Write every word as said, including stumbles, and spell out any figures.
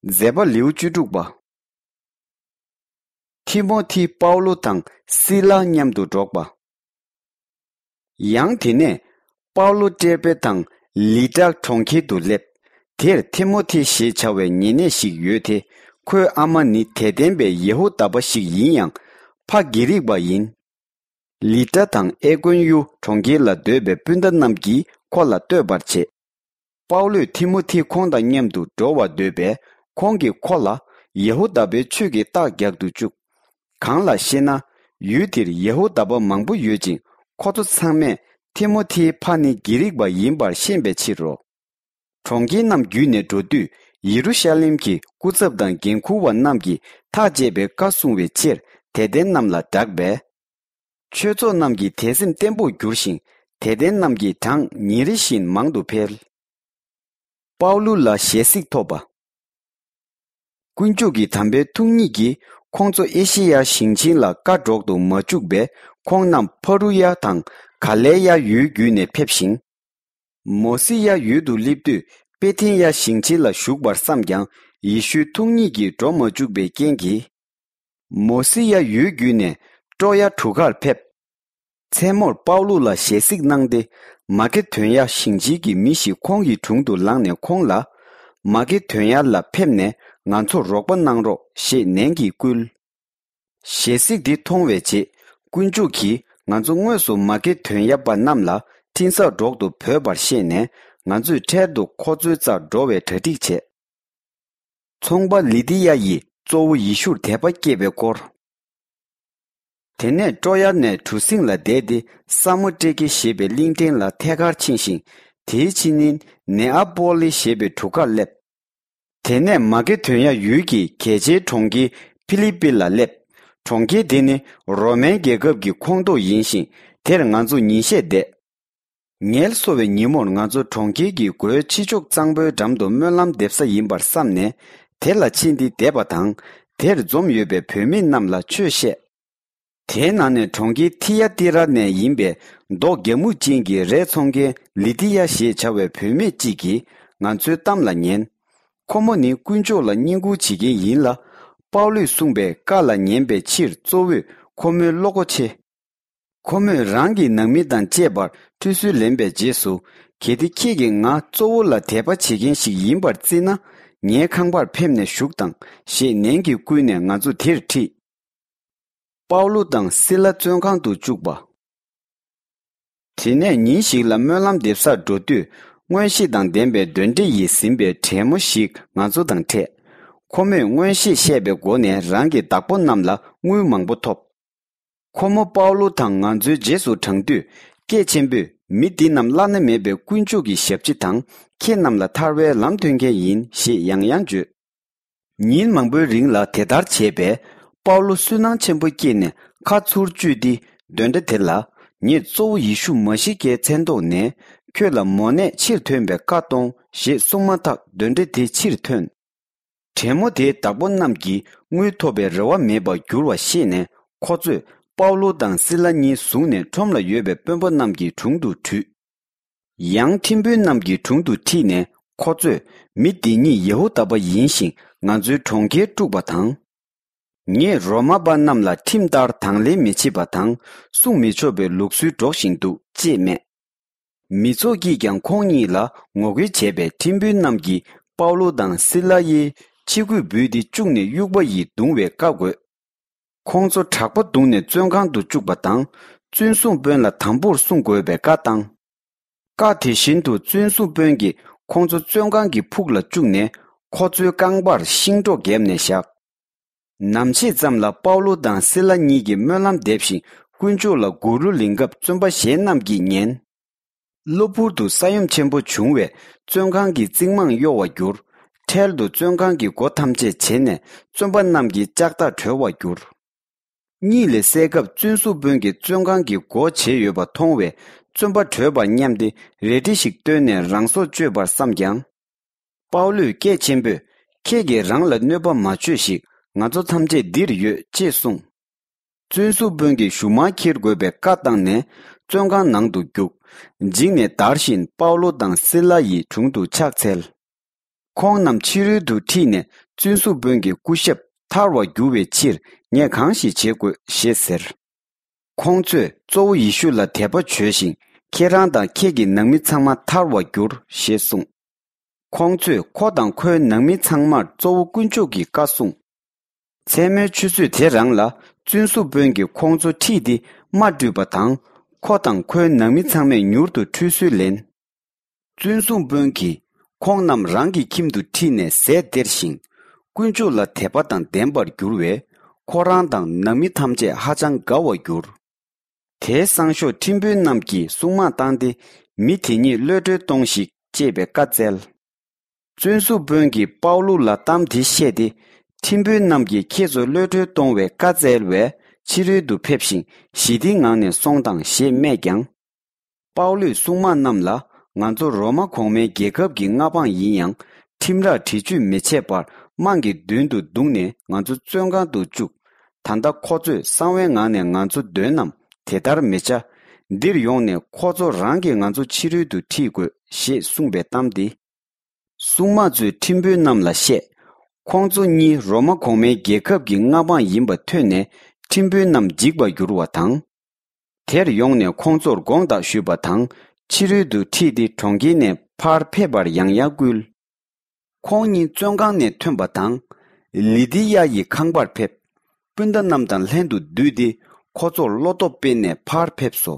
མཛད་པ་ལེའུ་བཅུ་དྲུག་པ། ཐི་མོ་ཐི་པའུ་ལོ་དང་སི་ལ་མཉམ་དུ་འགྲོགས་པ། ཡང་དེ་ནས་པའུ་ལོ་ཏྲེ་པེ་དང་ལི་ཏྲ་གྲོང་ཁྱེར་དུ་སླེབས། དེར་ཐི་མོ་ཐི་ཞེས་བྱ་བའི་ཉེ་གནས་ཤིག་ཡོད་དེ། ཁོའི་ཨ་མ་ནི་དད་ལྡན་པའི་ཡེ་ཧུ་དཱ་པ་ཞིག་ཡིན་ཡང་། ཕ་གྷི་རིག་པ་ཡིན། ལི་ཏྲ་དང་ཨེ་ཀོན་ཡུ་གྲོང་ཁྱེར་ལ་སྡོད་པའི་སྤུན་ཟླ་རྣམས་ཀྱིས་ཁོ་ལ་བསྟོད་པར་བྱེད། པའུ་ལོས་ཐི་མོ་ཐི་ཁོང་དང་མཉམ་དུ་འགྲོ་བར་འདོད་པས། ཁོང་གིས་ཁོ་ལ་ཡེ་ཧུ་དཱ་པའི་ཆོས་ཀྱི་རྟགས་རྒྱག་ཏུ་བཅུག། གང་ལགས་ཤེ་ན། ཡུལ་དེར་ཡེ་ཧུ་དཱ་པ་མང་པོ་ཡོད་ཅིང་། ཁོ་ཚོ་ཚང་མས་ཐི་མོ་ཐིའི་ཕ་ནི་གྷི་རིག་པ་ཡིན་པར་ཤེས་པའི་ཕྱིར་རོ། གྲོང་ཁྱེར་རྣམས་བརྒྱུད་ནས་འགྲོ་དུས། ཡེ་རུ་ཤ་ལེམ་གྱི་སྐུ་ཚབ་དང་འགན་འཁུར་བ་རྣམས་ཀྱིས་ཐག་བཅད་པའི་བཀའ་སྲུང་བའི་ཕྱིར། དད་ལྡན་རྣམས་ལ་བསྒྲགས་པས། ཆོས་ཚོགས་རྣམས་ཀྱི་དད་སེམས་བརྟན་པོར་གྱུར་ཞིང་། དད་ལྡན་རྣམས་ཀྱི་གྲངས་ཉིན་རེ་བཞིན་མང་དུ་འཕེལ། པའུ་ལུ་ལ་ཞལ་གཟིགས་ཐོབ་པ། དཀོན་མཆོག་གི་དམ་པའི་ཐུགས་ཉིད་ཀྱིས། ཁོང་ཚོ་ཨེ་ཤེ་ཡ་ཞིང་ཆེན་ལ་བཀའ་སྒྲོག་ཏུ་མ་བཅུག་པས། ཁོང་རྣམས་ཕ་རུ་ཡ་དང་ག་ལེ་ཡ་ཡུལ་བརྒྱུད་ནས་ཕེབས་ཤིང་། མོ་སི་ཡ་ཡུལ་དུ་སླེབས་དུས། པེ་ཐན་ཡ་ཞིང་ཆེན་ལ་བཞུགས་པར་བསམས་ཀྱང་། ཡེ་ཤུའི་ཐུགས་ཉིད་ཀྱིས་འགྲོ་མ་བཅུག་པའི་རྐྱེན་གྱིས། མོ་སི་ཡ་ཡུལ་བརྒྱུད་ནས་ཀྲོ་ཡ་གྲུ་ཁར་ཕེབས། མཚན་མོར་པའུ་ལུ་ལ་ཞལ་གཟིགས་གནང་སྟེ། མ་ཀེ་དོན་ཡ་ཞིང་ཆེན་གྱི་མི་ཞིག་ཁོང་གི་དྲུང་དུ་ལངས་ནས་ཁོང་ལ། མ་ཀེ་དོན་ཡ་ལ་ཕེབས་ནས་ང་ཚོར་རོགས་པ་གནང་རོགས་ཞེས་ནན་གྱིས་བསྐུལ། ཞལ་གཟིགས་འདི་མཐོང་བའི་རྗེས། དཀོན་མཆོག་གིས་ང་ཚོ་དངོས་སུ་མ་ཀེ་དོན་ཡ་པ་རྣམས་ལ་འཕྲིན་གསར་སྒྲོག་ཏུ་བོས་པར་ཤེས་ནས། ང་ཚོས་འཕྲལ་དུ་ཁོ་ཚོའི་རྩར་འགྲོ་བའི་གྲ་སྒྲིག་བྱས། ཚོང་པ་ལི་ཏི་ཡ་ཡིས་གཙོ་བོ་ཡེ་ཤུར་དད་པ་སྐྱེས་པའི་སྐོར། དེ་ནས་ཀྲོ་ཡ་ནས་གྲུ་གཟིངས་ལ་བསྡད་དེ། ས་མོ་ཏྲེ་ཀེ་ཞེས་པའི་གླིང་ཕྲན་ལ་ཐད་ཀར་ཕྱིན་ཞིང་། དེའི་ཕྱི་ཉིན་ནེ་ཨ་པོ་ལི་ཞེས་པའི་གྲུ་ཁར་སླེབས། དེ་ནས་མ་ཀེ་དོན་ཡ་ཡུལ་གྱི་གལ་ཆེའི་གྲོང་ཁྱེར་ཕི་ལི་པི་ལ་སླེབས། གྲོང་ཁྱེར་དེ་ནི་རོ་མན་རྒྱལ་ཁབ་ཀྱི་ཁོངས་གཏོགས་ཡིན་ཞིང་། དེར་ང་ཚོ་ཉིན་ཤས་བསྡད། ངལ་གསོ་བའི་ཉིན་མོར་ང་ཚོ་གྲོང་ཁྱེར་གྱི་སྒོའི་ཕྱི་ཕྱོགས་གཙང་པོའི་འགྲམ་དུ་སྨོན་ལམ་འདེབས་ས་ཡིན་པར་བསམས་ནས། དེ་ལ་ཕྱིན་ཏེ་བསྡད་པ་དང་། དེར་འཛོམས་ཡོད་པའི་བུད་མེད་རྣམས་ལ་ཆོས་བཤད། དེའི་ནང་ནས་གྲོང་ཁྱེར་ཐི་ཡ་ཏི་ར་ནས་ཡིན་པའི་མདོག་རྒྱ་སྨུག་ཅན་གྱི་རས་འཚོང་མཁན་ལི་ཏི་ཡ་ཞེས་བྱ་བའི་བུད་མེད་ཅིག་གིས་ང་ཚོའི་གཏམ་ལ་ཉན། ཁོ་མོ་ནི་དཀོན་མཆོག་ལ་བསྙེན་བཀུར་བྱེད་མཁན་ཡིན་ལ། པའུ་ལུས་གསུངས་པའི་བཀའ་ལ་ཉན་པའི་ཕྱིར་གཙོ་བོས་ཁོ་མོའི་བློ་སྒོ་ཕྱེ། ཁོ་མོས་རང་གི་ནང་མི་དང་བཅས་པར་ཁྲུས་གསོལ་ལེན་པའི་རྗེས་སུ། གལ་ཏེ་ཁྱེད་ཀྱིས་ང་གཙོ་བོ་ལ་དད་པ་བྱེད་མཁན་ཞིག་ཡིན་པར་བརྩིས་ན། ངའི་ཁང་པར་ཕེབས་ནས་བཞུགས་དང་ཞེས་ནན་གྱིས་བསྐུལ་ནས་ང་ཚོ་དེར་ཁྲིད། པའུ་ལུ་དང་སི་ལ་བཙོན་ཁང་དུ་བཅུག་པ། དེ་ནས་ཉིན་ཞིག་ལ་སྨོན་ལམ་འདེབས་སར་འགྲོ་དུས། མངོན་ཤེས་དང་ལྡན་པའི་གདོན་འདྲེ་ཡིས་ཟིན་པའི་བྲན་མོ་ཞིག་ང་ཚོ་དང་འཕྲད། ཁོ་མོས་མངོན་ཤེས་བཤད་པའི་སྒོ་ནས་རང་གི་བདག་པོ་རྣམས་ལ་དངུལ་མང་པོ་ཐོབ། ཁོ་མོ་པའུ་ལུ་དང་ང་ཚོའི་རྗེས་སུ་འབྲང་དུས། སྐད་ཆེན་པོས། མི་འདི་རྣམས་བླ་ན་མེད་པའི་དཀོན་མཆོག་གི་ཞབས་ཕྱི་དང་། ཁྱེད་རྣམས་ལ་ཐར་བའི་ལམ་སྟོན་མཁན་ཡིན་ཞེས་ཡང་ཡང་བརྗོད། ཉིན་མང་པོའི་རིང་ལ་དེ་ལྟར་བྱས་པས། པའུ་ལུ་སུན་སྣང་ཆེན་པོ་སྐྱེས་ནས་ཁ་ཚུར་གཅུས་ཏེ། གདོན་འདྲེ་དེ་ལ། ངས་གཙོ་བོ་ཡེ་ཤུ་མ་ཤི་ཀའི་མཚན་ཐོག་ནས། ཁྱོད་ལ་མོ་ནད་ཕྱིར་ཐོན་པའི་བཀའ་གཏོང་ཞེས་གསུངས་མ་ཐག་གདོན་འདྲེ་དེ་ཕྱིར་ཐོན། བྲན་མོ་དེའི་བདག་པོ་རྣམས་ཀྱིས་དངུལ་ཐོབ་པའི་རེ་བ་མེད་པར་གྱུར་བ་ཤེས་ནས། ཁོ་ཚོས་པའུ་ལུ་དང་སི་ལ་གཉིས་བཟུང་ནས་ཁྲོམ་ལ་ཡོད་པའི་དཔོན་པོ་རྣམས་ཀྱི་དྲུང་དུ་བྲུས། ཡང་ཁྲིམས་དཔོན་རྣམས་ཀྱི་དྲུང་དུ་ཁྲིད་ནས། ཁོ་ཚོས། མི་འདི་ཉིད་ཡེ་ཧུ་དཱ་པ་ཡིན་ཞིང་། ང་ཚོའི་གྲོང་ཁྱེར་དཀྲུགས་པ་དང་། ངས་རོ་མ་པ་རྣམས་ལ་ཁྲིམས་ལྟར་དང་ལེན་མི་བྱེད་པ་དང་། སྲུང་མི་ཆོག་པའི་ལུགས་སྲོལ་སྒྲོག་བཞིན་འདུག་ཅེས་སྨྲས། མི་ཚོགས་ཀྱིས་ཀྱང་ཁོང་གཉིས་ལ་ངོ་རྒོལ་བྱས་པས། ཁྲིམས་དཔོན་རྣམས་ཀྱིས་པའུ་ལུ་དང་སི་ལ་ཡི་ཕྱི་གོས་འབུད་དེ་བཅུག་ནས་དབྱུག་པ་ཡིས་བརྡུང་བའི་བཀའ་བསྒོས། ཁོང་ཚོ་དྲག་པོ་བརྡུངས་ནས་བཙོན་ཁང་དུ་བཅུག་པ་དང་། བཙོན་སྲུང་དཔོན་ལ་དམ་པོར་སྲུང་དགོས་པའི་བཀའ་བཏང་། བཀའ་དེ་བཞིན་དུ་བཙོན་སྲུང་དཔོན་གྱིས་ཁོང་ཚོ་བཙོན་ཁང་གི་ཕུག་ལ་བཅུག་ནས། ཁོ་ཚོའི་རྐང་པར་ཤིང་སྒྲོག་བརྒྱབ་ནས་བཞག། ནམ་ཕྱེད་ཙམ་ལ་པའུ་ལུ་དང་སི་ལ་གཉིས་ཀྱིས་སྨོན་ལམ་འདེབས་ཤིང་། དཀོན་མཆོག་ལ་མགུར་གླུ་ལེན་སྐབས། བཙོན་པ་གཞན་རྣམས་ཀྱིས་ཉན། གློ་བུར་དུ་ས་ཡོམ་ཆེན་པོ་བྱུང་བས། བཙོན་ཁང་གི་རྩིག་རྨང་གཡོ་བར་གྱུར། འཕྲལ་དུ་བཙོན་ཁང་གི་སྒོ་ཐམས་ཅད་བྱེ་ནས། བཙོན་པ་རྣམས་ཀྱི་ལྕགས་ཐག་གྲོལ་བར་གྱུར། གཉིད་ལས་སད་སྐབས། བཙོན་སྲུང་དཔོན་གྱིས་བཙོན་ཁང་གི་སྒོ་བྱེ་ཡོད་པ་མཐོང་བས། བཙོན་པ་བྲོས་པར་སྙམ་སྟེ། རལ་གྲི་ཞིག་བཏོན་ནས་རང་སྲོག་གཅོད་པར་བསམས་ཀྱང་། པའུ་ལུས་སྐད་ཆེན་པོས། ཁྱེད་ཀྱིས་རང་ལ་གནོད་པ་མ་བྱོས་ཤིག། ང་ཚོ་ཐམས་ཅད་འདིར་ཡོད། ཅེས་གསུངས། བཙོན་སྲུང་དཔོན་གྱིས་གཞུག་མ་འཁྱེར་དགོས་པའི་བཀའ་བཏང་ནས། བཙོན་ཁང་ནང་དུ་བརྒྱུགས། འཇིགས་ནས་འདར་བཞིན་པའུ་ལུ་དང་སི་ལ་ཡི་དྲུང་དུ་ཕྱག་འཚལ། ཁོང་རྣམས་ཕྱི་རོལ་དུ་ཁྲིད་ནས། བཙུན་གསུང་དཔོན་གྱི་སྐུ་ཞབས་ཐར་བར་འགྱུར་བའི་ཕྱིར་ངས་གང་ཞིག་བྱེད་དགོས་ཞེས་ཟེར། ཁོང་ཚོས་གཙོ་བོ་ཡེ་ཤུ་ལ་དད་པ་བྱོས་ཤིང་ཁྱེད་རང་དང་ཁྱེད་ཀྱི་ནང་མི་ཚང་མ་ཐར་བར་འགྱུར་ཞེས་གསུངས། ཁོང་ཚོས་ཁོ་དང་ཁོའི་ནང་མི་ཚང་མར་གཙོ་བོ་དཀོན་མཆོག་གི་བཀའ་གསུངས། མཚན་མོའི་ཆུ་ཚོད་དེ་རང་ལ་བཙུན་གསུང་དཔོན་གྱིས་ཁོང་ཚོ་ཁྲིད་དེ་རྨ་སྤྲུལ་པ་དང་ཁོ་དང་ཁོའི་ནང་མི་ཚང་མས་མྱུར་དུ་ཁྲུས་གསོལ་ལེན། བཙུན་གསུང་དཔོན་གྱིས་ཁོང་རྣམས་རང་གི་ཁྱིམ་དུ་ཁྲིད་ནས་ཟས་སྟེར་ཞིང་དཀོན་མཆོག་ལ་དད་པ་དང་ལྡན་པར་འགྱུར་བས་ཁོ་རང་དང་ནང་མི་ཐམས་ཅད་ཧ་ཅང་དགའ་བར་གྱུར། དེའི་སང་ཞོགས་ཁྲིམས་དཔོན་རྣམས་ཀྱིས་སྲུང་དམག་བཏང་སྟེ་མི་དེ་ཉིད་གློད་གྲོལ་གཏོང་ཞིག་ཅེས་པའི་བཀའ་སྩལ། བཙུན་གསུང་དཔོན་གྱིས་པའུ་ལུ་ལ་གཏམ་དེ་བཤད་དེ། ཁྲིམས་དཔོན་རྣམས་ཀྱིས་ཁྱེད་ཚོ་གློད་གྲོལ་གཏོང་བའི་བཀའ་སྩལ་བས་ཕྱི་རོལ་དུ་ཕེབས་ཤིང་ཞི་བདེའི་ངང་ནས་སོང་དང་ཞེས་སྨྲས་ཀྱང་། པའུ་ལུས་སྲུང་དམག་རྣམས་ལ་ང་ཚོ་རོ་མ་གོང་མའི་རྒྱལ་ཁབ་ཀྱི་མངའ་འབངས་ཡིན་ཡང་ཁྲིམས་རར་འདྲི་གཅོད་མི་བྱེད་པར་དམངས་ཀྱི་མདུན་དུ་བརྡུངས་ནས་ང་ཚོ་བཙོན་ཁང་དུ་བཅུག་ད་ལྟ་ཁོ་ཚོས་གསང་བའི་ངང་ནས་ང་ཚོ་འདོན་ནམ། དེ་ལྟར་མི་བྱ། འདིར་ཡོང་ནས་ཁོ་ཚོ་རང་གིས་ང་ཚོ་ཕྱི་རོལ་དུ་ཁྲིད་དགོས་ཞེས་གསུངས་པའི་གཏམ་འདི། སྲུང་དམག་ཚོས་ཁྲིམས་དཔོན་རྣམས་ལ་བཤད། ཁོང་ཚོ་གཉིས་རོ་མ་གོང་མའི་རྒྱལ་ཁབ་ཀྱི་མངའ་འབངས་ཡིན་པ་ཐོས་ནས་ཁྲིམས་དཔོན་རྣམས་འཇིགས་པར་འགྱུར་བ་དང་། དེར་ཡོང་ནས་ཁོང་ཚོར་དགོངས་དག་ཞུས་པ་དང་ཕྱི་རོལ་དུ་ཁྲིད་དེ་གྲོང་ཁྱེར་ནས་ཕར་ཕེབས་པར་ཡང་ཡང་བསྐུལ། ཁོང་གཉིས་བཙོན་ཁང་ནས་ཐོན་པ་དང་། ལི་དི་ཡ་ཡི་ཁང་པར་ཕེབས། སྤུན་ཟླ་རྣམས་དང་ལྷན་དུ་འདུས་ཏེ་ཁོ་ཚོར་བློ་སྟོབས་སྤེལ་ནས་ཕར་ཕེབས་སོ།